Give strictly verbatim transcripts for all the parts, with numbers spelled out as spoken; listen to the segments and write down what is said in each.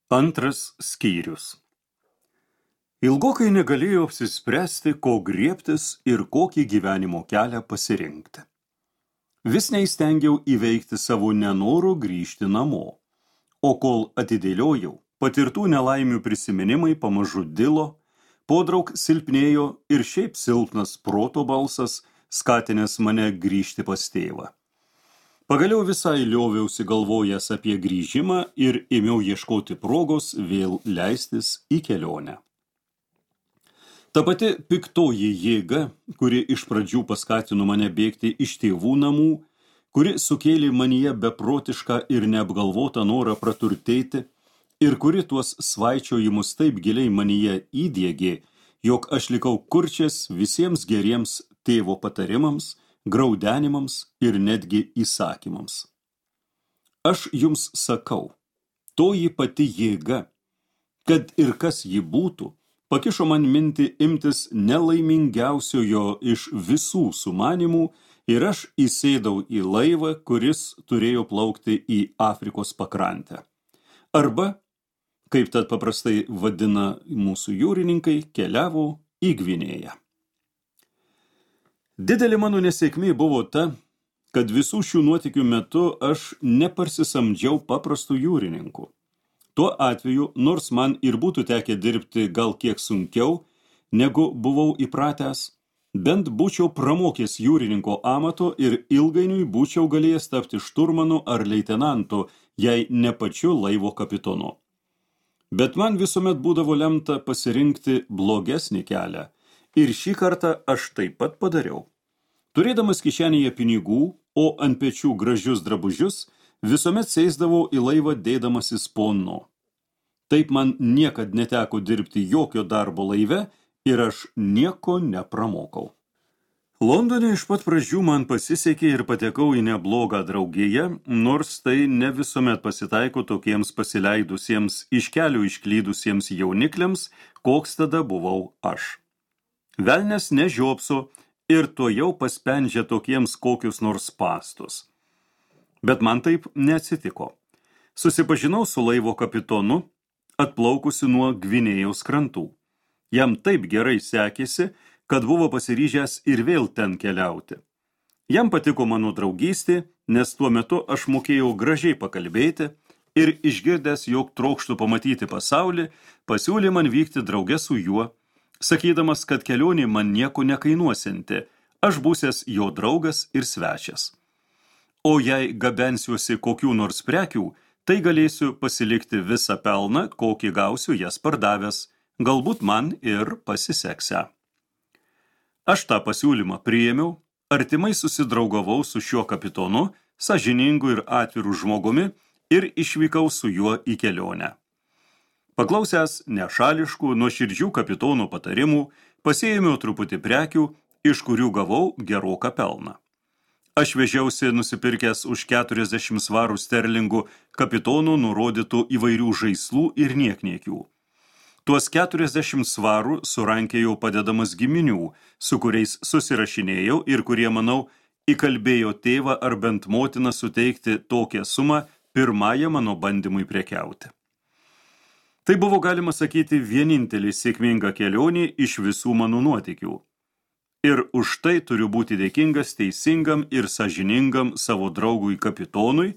Antras skyrius. Ilgokai negalėjau apsispręsti, ko griebtis ir kokį gyvenimo kelią pasirinkti. Vis neįstengiau įveikti savo nenorų grįžti namo, o kol atidėliojau, patirtų nelaimių prisiminimai pamažu dilo, podraug silpnėjo ir šiaip silpnas proto balsas, skatinęs mane grįžti pas tėvą. Pagaliau visai lioviausi galvojęs apie grįžimą ir ėmiau ieškoti progos vėl leistis į kelionę. Ta pati piktoji jėga, kuri iš pradžių paskatino mane bėgti iš tėvų namų, kuri sukėlė manyje beprotišką ir neapgalvotą norą praturtėti ir kuri tuos svaičiojimus taip giliai manyje įdiegė, jog aš likau kurčias visiems geriems tėvo patarimams, graudenimams ir netgi įsakymams. Aš jums sakau, toji pati jėga, kad ir kas ji būtų, pakišo man mintį imtis nelaimingiausiojo iš visų sumanimų ir aš įsėdau į laivą, kuris turėjo plaukti į Afrikos pakrantę. Arba, kaip tad paprastai vadina mūsų jūrininkai, keliavo į Gvinėją. Didelė mano nesėkmė buvo ta, kad visų šių nuotykių metu aš neparsisamdžiau paprastų jūrininkų. Tuo atveju, nors man ir būtų tekę dirbti gal kiek sunkiau, negu buvau įpratęs, bent būčiau pramokęs jūrininko amato ir ilgainiui būčiau galėjęs tapti šturmanu ar leitenantu, jei ne pačiu laivo kapitonu. Bet man visuomet būdavo lemta pasirinkti blogesnį kelią, ir šį kartą aš taip pat padariau. Turėdamas kišenėje pinigų, o ant pečių gražius drabužius, visuomet sėsdavau į laivą dėdamasis ponno. Taip man niekad neteko dirbti jokio darbo laive ir aš nieko nepramokau. Londone iš pat pradžių man pasisekė ir patekau į neblogą draugiją, nors tai ne visuomet pasitaiko tokiems pasileidusiems iš kelių išklydusiems jaunikliams, koks tada buvau aš. Velnias nežiopso ir to jau paspendžia tokiems kokius nors pastus. Bet man taip neatsitiko. Susipažinau su laivo kapitonu, atplaukusi nuo Gvinėjos krantų. Jam taip gerai sekėsi, kad buvo pasiryžęs ir vėl ten keliauti. Jam patiko mano draugystė, nes tuo metu aš mokėjau gražiai pakalbėti ir išgirdęs, jog trokštų pamatyti pasaulį, pasiūlė man vykti drauge su juo, sakydamas, kad kelionė man nieko nekainuosianti, aš būsies jo draugas ir svečias. O jei gabensiuosi kokių nors prekių, tai galėsiu pasilikti visą pelną, kokį gausiu jas pardavęs, galbūt man ir pasiseksę. Aš tą pasiūlymą priėmiau, artimai susidraugavau su šiuo kapitonu, sąžiningu ir atviru žmogumi ir išvykau su juo į kelionę. Paklausęs nešališkų, nuoširdžių kapitono patarimų, pasiėmiau truputį prekių, iš kurių gavau geroką pelną. Aš vežiausi nusipirkęs už keturiasdešimt svarų sterlingų kapitonų nurodytų įvairių žaislų ir niekniekių. Tuos keturiasdešimt svarų surankėjau padedamas giminių, su kuriais susirašinėjau ir kurie, manau, įkalbėjo tėvą ar bent motiną suteikti tokią sumą pirmąją mano bandymui prekiauti. Tai buvo, galima sakyti, vienintelė sėkminga kelionė iš visų mano nuotykių. Ir už tai turiu būti dėkingas teisingam ir sąžiningam savo draugui kapitonui,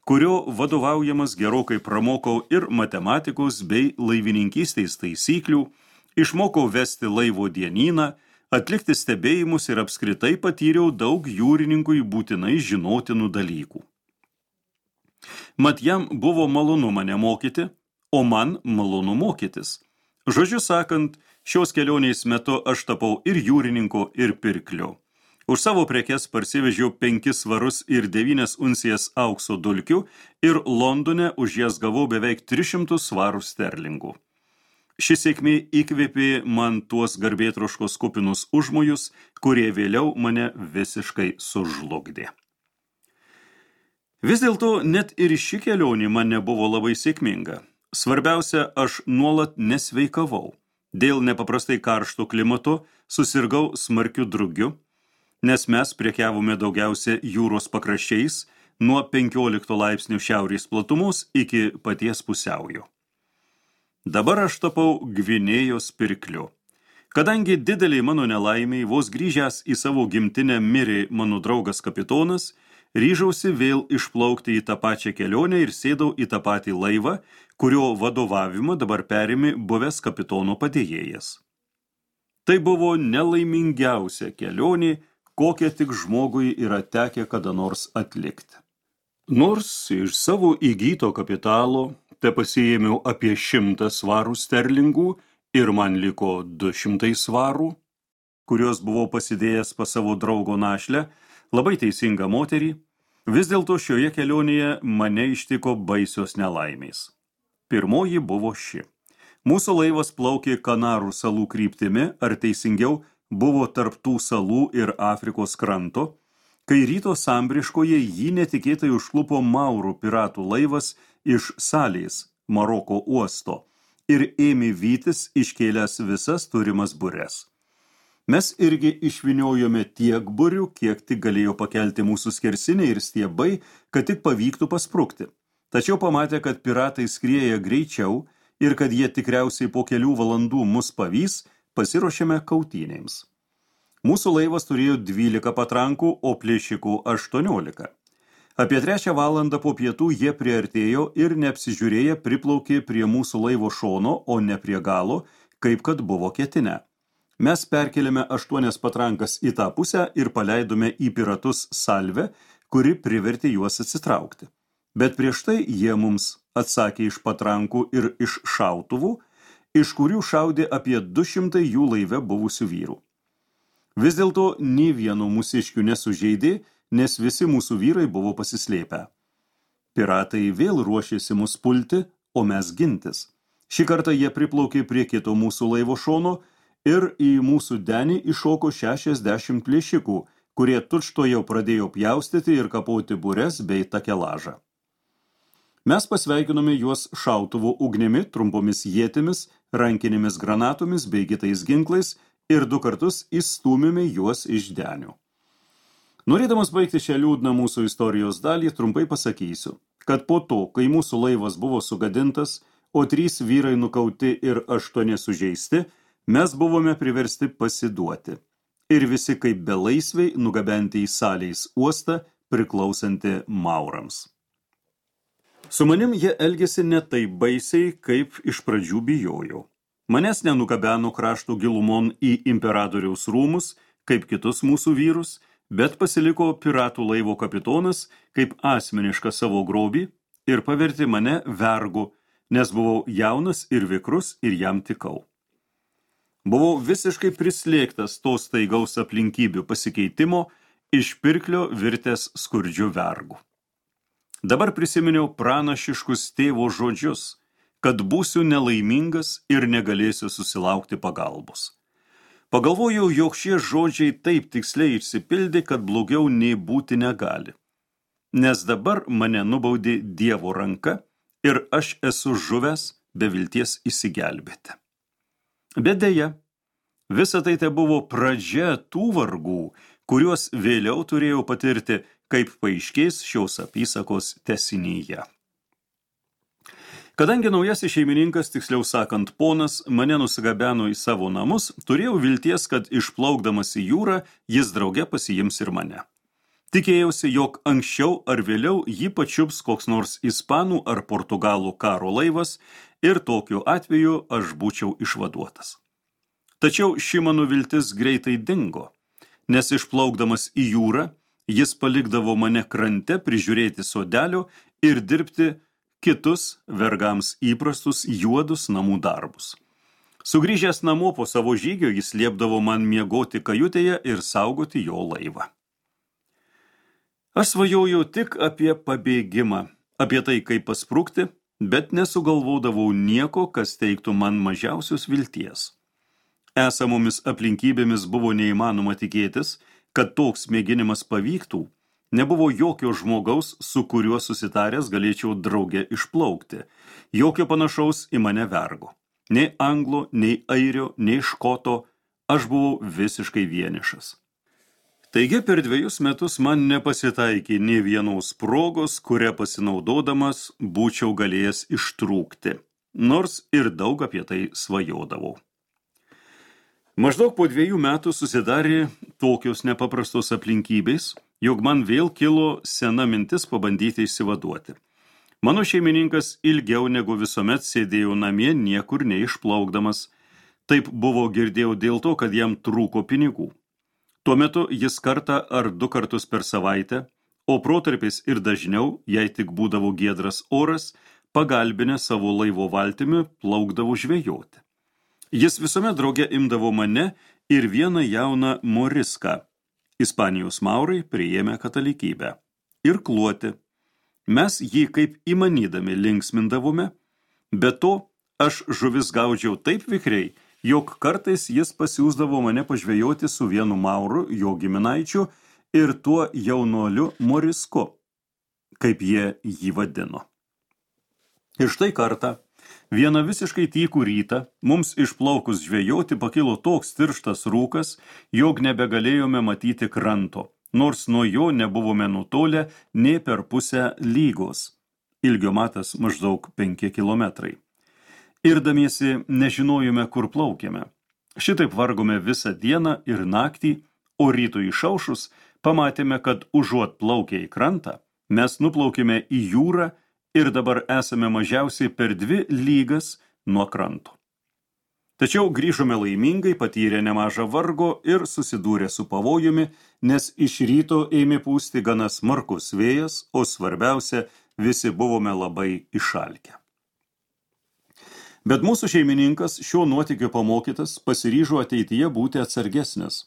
kurio vadovaujamas gerokai pramokau ir matematikos bei laivininkystės taisyklių, išmokau vesti laivo dienyną, atlikti stebėjimus ir apskritai patyriau daug jūrininkui būtinai žinotinų dalykų. Mat jam buvo malonu mane mokyti, o man malonu mokytis. Žodžiu sakant, šios kelionės metu aš tapau ir jūrininku, ir pirkliu. Už savo prekes parsivežiau penkis svarus ir devynias uncijas aukso dulkių ir Londone už jas gavau beveik tris šimtus svarų sterlingų. Ši sėkmė įkvėpė man tuos garbėtroškos kupinus užmojus, kurie vėliau mane visiškai sužlugdė. Vis dėlto net ir ši kelionė man nebuvo labai sėkminga. Svarbiausia, aš nuolat nesveikavau. Dėl nepaprastai karšto klimato susirgau smarkiu drugiu, nes mes prekiavome daugiausia jūros pakraščiais nuo penkiolikto laipsnių šiaurės platumos iki paties pusiaujo. Dabar aš tapau Gvinėjos pirkliu. Kadangi dideliai mano nelaimiai vos grįžęs į savo gimtinę mirė mano draugas kapitonas, ryžausi vėl išplaukti į tą pačią kelionę ir sėdau į tą patį laivą, kurio vadovavimą dabar perėmė buvęs kapitono padėjėjas. Tai buvo nelaimingiausia kelionė, kokią tik žmogui yra tekę kada nors atlikti. Nors iš savo įgyto kapitalo te pasiėmiau apie šimtą svarų sterlingų ir man liko du šimtai svarų, kurios buvau pasidėjęs pas savo draugo našlę, labai teisingą moterį, vis dėlto šioje kelionėje mane ištiko baisios nelaimės. Pirmoji buvo ši. Mūsų laivas plaukė Kanarų salų kryptimi, ar teisingiau buvo tarp tų salų ir Afrikos kranto, kai ryto sambriškoje jį netikėtai užklupo maurų piratų laivas iš Salės, Maroko uosto, ir ėmė vytis iškėlęs visas turimas bures. Mes irgi išvyniojome tiek burių, kiek tik galėjo pakelti mūsų skersiniai ir stiebai, kad tik pavyktų pasprukti. Tačiau pamatė, kad piratai skrieja greičiau ir kad jie tikriausiai po kelių valandų mus pavys, pasiruošėme kautynėms. Mūsų laivas turėjo dvylika patrankų, o plėšikų aštuoniolika. Apie trečią valandą po pietų jie priartėjo ir neapsižiūrėję priplaukė prie mūsų laivo šono, o ne prie galo, kaip kad buvo ketinę. Mes perkėlėme aštuonias patrankas į tą pusę ir paleidome į piratus salvę, kuri privertė juos atsitraukti. Bet prieš tai jie mums atsakė iš patrankų ir iš šautuvų, iš kurių šaudė apie du šimtai jų laive buvusių vyrų. Vis dėlto nė vieno mūsiškių nesužeidė, nes visi mūsų vyrai buvo pasislėpę. Piratai vėl ruošėsi mus pulti, o mes gintis. Šį kartą jie priplaukė prie kito mūsų laivo šono ir į mūsų denį iššoko šešiasdešimt plėšikų, kurie tučtuojau pradėjo pjaustyti ir kapoti bures bei takelažą. Mes pasveikinome juos šautuvo ugnimi, trumpomis ietimis, rankinėmis granatomis bei kitais ginklais ir du kartus įstūmėme juos iš denių. Norėdamas baigti šią liūdną mūsų istorijos dalį, trumpai pasakysiu, kad po to, kai mūsų laivas buvo sugadintas, o trys vyrai nukauti ir aštuoni sužeisti, mes buvome priversti pasiduoti. Ir visi kaip belaisviai nugabenti į Salės uostą, priklausantį maurams. Su manim jie elgėsi ne taip baisiai, kaip iš pradžių bijojau. Manęs nenugabeno kraštų gilumon į imperatoriaus rūmus, kaip kitus mūsų vyrus, bet pasiliko piratų laivo kapitonas kaip asmenišką savo grobį ir pavertė mane vergu, nes buvau jaunas ir vikrus ir jam tikau. Buvau visiškai prislėgtas to staigaus aplinkybių pasikeitimo, iš pirklio virtęs skurdžiu vergu. Dabar prisiminiau pranašiškus tėvo žodžius, kad būsiu nelaimingas ir negalėsiu susilaukti pagalbos. Pagalvojau, jog šie žodžiai taip tiksliai išsipildė, kad blogiau nei būti negali. Nes dabar mane nubaudė Dievo ranka ir aš esu žuvęs be vilties įsigelbėti. Bet deja, visa tai te buvo pradžia tų vargų, kuriuos vėliau turėjau patirti, kaip paaiškės šios apysakos tęsinyje. Kadangi naujasis šeimininkas, tiksliau sakant ponas, mane nusigabeno į savo namus, turėjau vilties, kad išplaukdamas į jūrą, jis drauge pasiims ir mane. Tikėjausi, jog anksčiau ar vėliau jį pačiups koks nors ispanų ar portugalų karo laivas ir tokiu atveju aš būčiau išvaduotas. Tačiau ši mano viltis greitai dingo, nes išplaukdamas į jūrą, jis palikdavo mane krante prižiūrėti sodelio ir dirbti kitus vergams įprastus juodus namų darbus. Sugrįžęs namo po savo žygio, jis liepdavo man miegoti kajutėje ir saugoti jo laivą. Aš svajojau tik apie pabėgimą, apie tai, kaip pasprukti, bet nesugalvodavau nieko, kas teiktų man mažiausios vilties. Esamomis aplinkybėmis buvo neįmanoma tikėtis, kad toks mėginimas pavyktų. Nebuvo jokio žmogaus, su kuriuo susitaręs galėčiau drauge išplaukti, jokio panašaus į mane vergo. Nei anglo, nei airio, nei škoto, aš buvau visiškai vienišas. Taigi per dviejus metus man nepasitaikė nė vienos progos, kurią pasinaudodamas būčiau galėjęs ištrūkti. nors ir daug apie tai svajodavau. Maždaug po dviejų metų susidarė tokios nepaprastos aplinkybės, jog man vėl kilo sena mintis pabandyti išsivaduoti. Mano šeimininkas ilgiau negu visuomet sėdėjo namie, niekur neišplaukdamas. Taip buvo girdėjau dėl to, kad jam trūko pinigų. Tuo metu jis kartą ar du kartus per savaitę, o protarpiais ir dažniau, jei tik būdavo giedras oras, pagalbinę savo laivo valtimi plaukdavo žvejoti. Jis visuomet drauge imdavo mane ir vieną jauną Moriską. Ispanijos maurai priėmė katalikybę. Ir kluoti. Mes jį kaip įmanydami linksmindavome, be to aš žuvis gaudžiau taip vikriai, jog kartais jis pasiūsdavo mane pažvejoti su vienu mauru, jo giminaičiu, ir tuo jaunuoliu Morisku, kaip jie jį vadino. Ir štai kartą, vieną visiškai tykų rytą, mums išplaukus žvejoti pakilo toks tirštas rūkas, jog nebegalėjome matyti kranto, nors nuo jo nebuvome nutolę nė per pusę lygos. Ilgio matas maždaug penki kilometrai. Irdamiesi nežinojome, kur plaukėme. Šitaip vargome visą dieną ir naktį, o rytui išaušus pamatėme, kad užuot plaukę į krantą, mes nuplaukėme į jūrą ir dabar esame mažiausiai per dvi lygas nuo kranto. Tačiau grįžome laimingai, patyrę nemažą vargo ir susidūrę su pavojumi, nes iš ryto ėmė pūsti gana smarkus vėjas, o svarbiausia, visi buvome labai išalkę. Bet mūsų šeimininkas, šio nuotykio pamokytas, pasiryžo ateityje būti atsargesnis.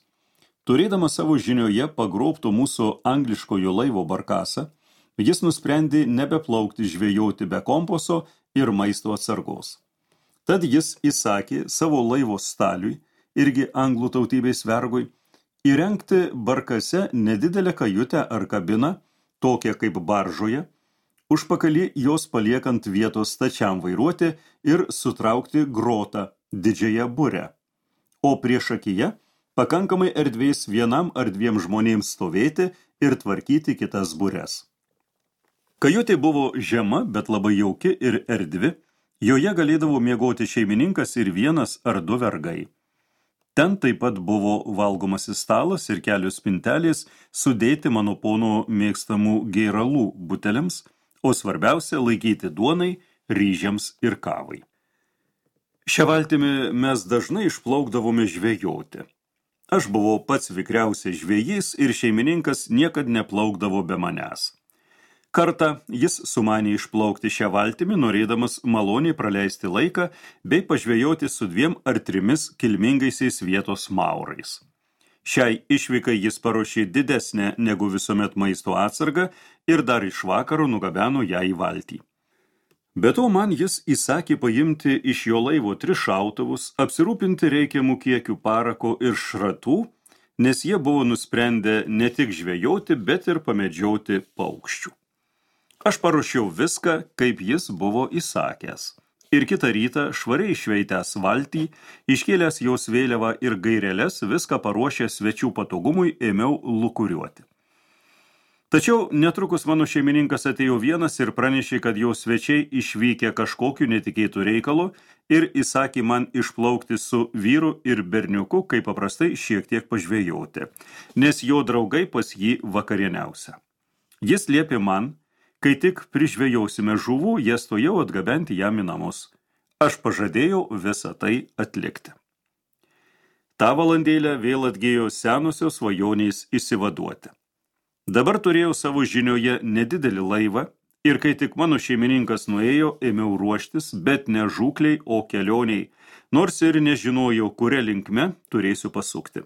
Turėdamas savo žinioje pagrobto mūsų angliškojo laivo barkasą, jis nusprendė nebeplaukti žvejoti be kompaso ir maisto atsargos. Tad jis įsakė savo laivo staliui, irgi anglų tautybės vergui, įrengti barkase nedidelę kajutę ar kabiną, tokią kaip baržoje, užpakalį jos paliekant vietos stačiam vairuoti ir sutraukti grotą didžiąją burę, o priešakyje pakankamai erdvės vienam ar dviem žmonėms stovėti ir tvarkyti kitas bures. Kajutė buvo žema, bet labai jauki ir erdvi, joje galėdavo miegoti šeimininkas ir vienas ar du vergai. Ten taip pat buvo valgomasis stalas ir kelios spintelės sudėti mano pono mėgstamų gėralų buteliams, o svarbiausia laikyti duonai, ryžiams ir kavai. Šią valtimi mes dažnai išplaukdavome žvejoti. Aš buvau pats vikriausias žvejys ir šeimininkas niekad neplaukdavo be manęs. Kartą jis sumanė išplaukti šią valtimi, norėdamas maloniai praleisti laiką bei pažvejoti su dviem ar trimis kilmingaisiais vietos maurais. Šiai išvykai jis paruošė didesnę negu visuomet maisto atsargą ir dar iš vakaro nugabeno ją į valtį. Be to man jis įsakė paimti iš jo laivo tris šautuvus, apsirūpinti reikiamų kiekių parako ir šratų, nes jie buvo nusprendę ne tik žvejoti, bet ir pamedžioti paukščių. Aš paruošiau viską, kaip jis buvo įsakęs. Ir kitą rytą, švariai išveitęs valtį, iškėlęs jos vėliavą ir gaireles, viską paruošęs svečių patogumui, ėmiau lukuriuoti. Tačiau netrukus mano šeimininkas atėjo vienas ir pranešė, kad jo svečiai išvykę kažkokiu netikėtų reikalu ir įsakė man išplaukti su vyru ir berniuku, kaip paprastai šiek tiek pažvejoti, nes jo draugai pas jį vakarieniausia. Jis liepė man, kai tik prižvejausime žuvų, jas tojau atgabenti jam į namus. Aš pažadėjau visą tai atlikti. Ta valandėlę vėl atgėjo senosios svajonės išsivaduoti. Dabar turėjau savo žinioje nedidelį laivą ir kai tik mano šeimininkas nuėjo, ėmiau ruoštis, bet ne žūkliai, o kelioniai, nors ir nežinojau, kuria linkme turėsiu pasukti.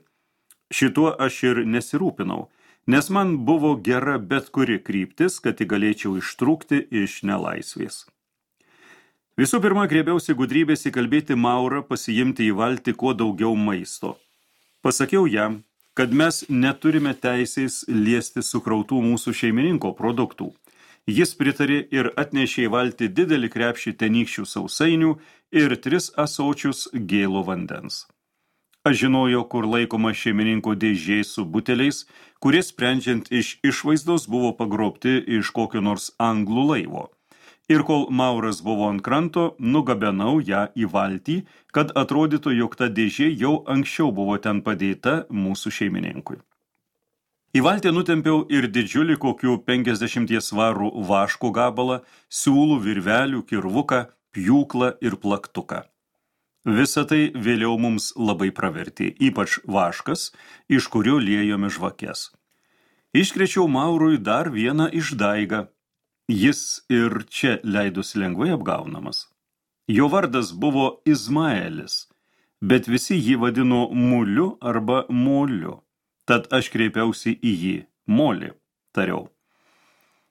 Šituo aš ir nesirūpinau, nes man buvo gera bet kuri kryptis, kad galėčiau ištrūkti iš nelaisvės. Visų pirma, grėbiausi gudrybės įkalbėti maurą pasiimti į valtį kuo daugiau maisto. Pasakiau jam, kad mes neturime teisės liesti sukrautų mūsų šeimininko produktų. Jis pritarė ir atnešė į valtį didelį krepšį tenykščių sausainių ir tris ąsočius gėlo vandens. Aš žinojau, kur laikoma šeimininko dėžė su buteliais, kurie sprendžiant iš išvaizdos buvo pagrobti iš kokio nors anglų laivo. ir kol Mauras buvo ant kranto, nugabenau ją į valtį, kad atrodytų, jog ta dėžė jau anksčiau buvo ten padėta mūsų šeimininkui. Į valtį nutempiau ir didžiulį kokių penkiasdešimties svarų vaško gabalą, siūlų, virvelių, kirvuką, pjūklą ir plaktuką. Visa tai vėliau mums labai pravertė, ypač vaškas, iš kurio liejome žvakes. Iškrėčiau Maurui dar vieną išdaigą. Jis ir čia leidosi lengvai apgaunamas. Jo vardas buvo Izmaelis, bet visi jį vadino Muliu arba Moliu. Tad aš kreipiausi į jį, Moli, tariau.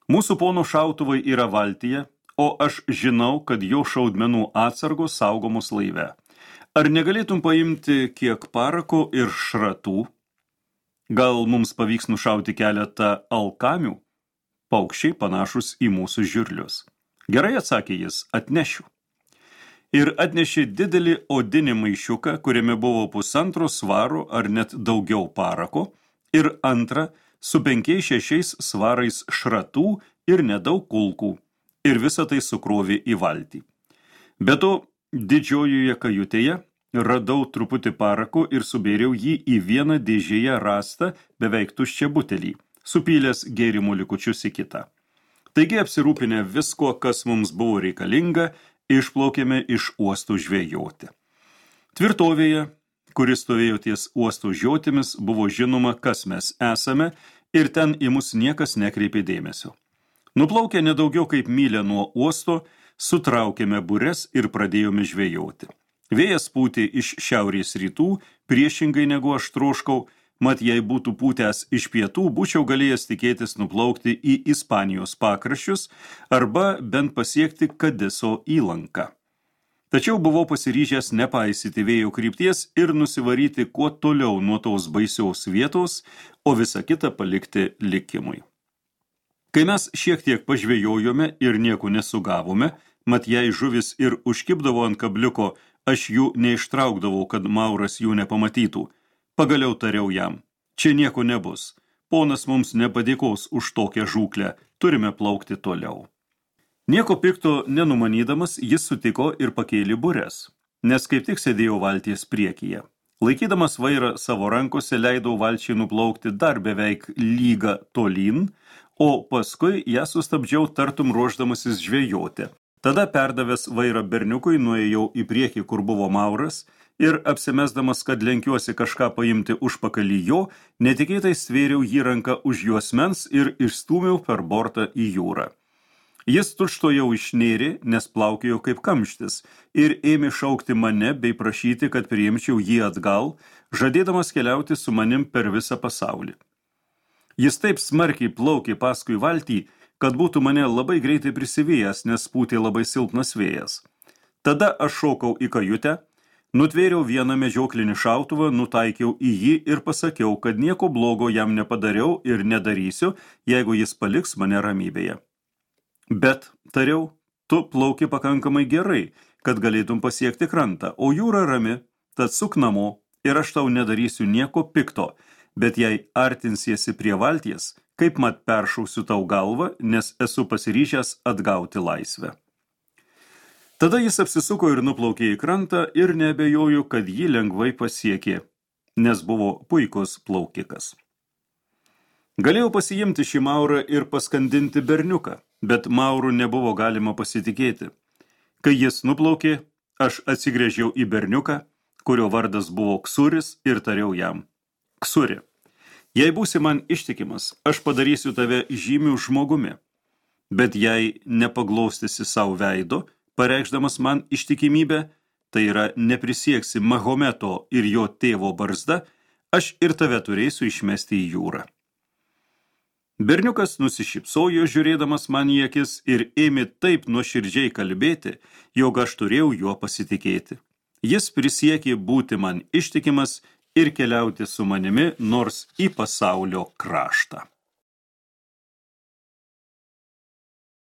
Mūsų pono šautuvai yra valtyje, o aš žinau, kad jo šaudmenų atsargos saugomos laive. Ar negalėtum paimti kiek parako ir šratų? Gal mums pavyks nušauti keletą alkamių? Paukščiai panašus į mūsų žirlius. Gerai, atsakė jis, atnešiu. Ir atnešė didelį odinį maišiuką, kuriame buvo pusantro svaro ar net daugiau parako, ir antrą su penkiais šešiais svarais šratų ir nedaug kulkų, ir visą tai sukrovė į valtį. Be to, didžiojoje kajutėje radau truputį parako ir subėriau jį į vieną dėžėje rastą beveik tuščią butelį, supylęs gėrimų likučius į kitą. Taigi apsirūpinę visko, kas mums buvo reikalinga, išplaukėme iš uostų žvejoti. Tvirtovėje, kuris stovėjo ties uostų žiotimis, buvo žinoma, kas mes esame, ir ten į mus niekas nekreipė dėmesio. Nuplaukę nedaugiau kaip mylę nuo uosto, sutraukėme bures ir pradėjome žvejoti. Vėjas pūtė iš šiaurės rytų, priešingai negu aš troškau, mat jei būtų pūtęs iš pietų, būčiau galėjęs tikėtis nuplaukti į Ispanijos pakraščius arba bent pasiekti Kadeso įlanką. Tačiau buvau pasiryžęs nepaisyti vėjo krypties ir nusivaryti kuo toliau nuo tos baisiaus vietos, o visą kitą palikti likimui. Kai mes šiek tiek pažvejojome ir nieko nesugavome, mat jei žuvis ir užkibdavo ant kabliuko, aš jų neištraukdavau, kad Mauras jų nepamatytų. Pagaliau tariau jam, čia nieko nebus, ponas mums nepadėkos už tokią žūklę, turime plaukti toliau. Nieko pikto nenumanydamas, jis sutiko ir pakėlė bures, nes kaip tik sėdėjau valties priekyje. Laikydamas vairą savo rankose, leidau valčiai nuplaukti dar beveik lygą tolyn, o paskui ją sustabdžiau tartum ruošdamasis žvejoti. Tada perdavęs vairą berniukui, nuėjau į priekį, kur buvo Mauras, ir apsimesdamas, kad lenkiuosi kažką paimti užpakalį jo, netikėtai stvėriau jį ranką už juosmens ir išstūmiau per bortą į jūrą. Jis tučtuojau išnėrė, nes plaukėjo kaip kamštis, ir ėmė šaukti mane bei prašyti, kad priimčiau jį atgal, žadėdamas keliauti su manim per visą pasaulį. Jis taip smarkiai plaukė paskui valtį, kad būtų mane labai greitai prisivėjęs, nes pūtė labai silpnas vėjas. Tada aš šokau į kajutę, nutvėriau vieną medžioklinį šautuvą, nutaikiau į jį ir pasakiau, kad nieko blogo jam nepadariau ir nedarysiu, jeigu jis paliks mane ramybėje. Bet, tariau, tu plauki pakankamai gerai, kad galėtum pasiekti krantą, o jūra rami, tad suk namo ir aš tau nedarysiu nieko pikto, bet jei artinsiesi prie valties, kaip mat peršausiu tau galvą, nes esu pasiryžęs atgauti laisvę. Tada jis apsisuko ir nuplaukė į krantą ir neabejoju, kad jį lengvai pasiekė, nes buvo puikus plaukikas. Galėjau pasiimti šį Maurą ir paskandinti berniuką, bet Maurų nebuvo galima pasitikėti. Kai jis nuplaukė, aš atsigręžiau į berniuką, kurio vardas buvo Ksuris, ir tariau jam, Ksuri, jei būsi man ištikimas, aš padarysiu tave žymiu žmogumi, bet jei nepaglaustysi savo veido, pareikšdamas man ištikimybę, tai yra neprisieksi Mahometo ir jo tėvo barzda, aš ir tave turėsiu išmesti į jūrą. Berniukas nusišypsojo žiūrėdamas man į akis ir ėmė taip nuoširdžiai kalbėti, jog aš turėjau juo pasitikėti. Jis prisiekė būti man ištikimas ir keliauti su manimi nors į pasaulio kraštą.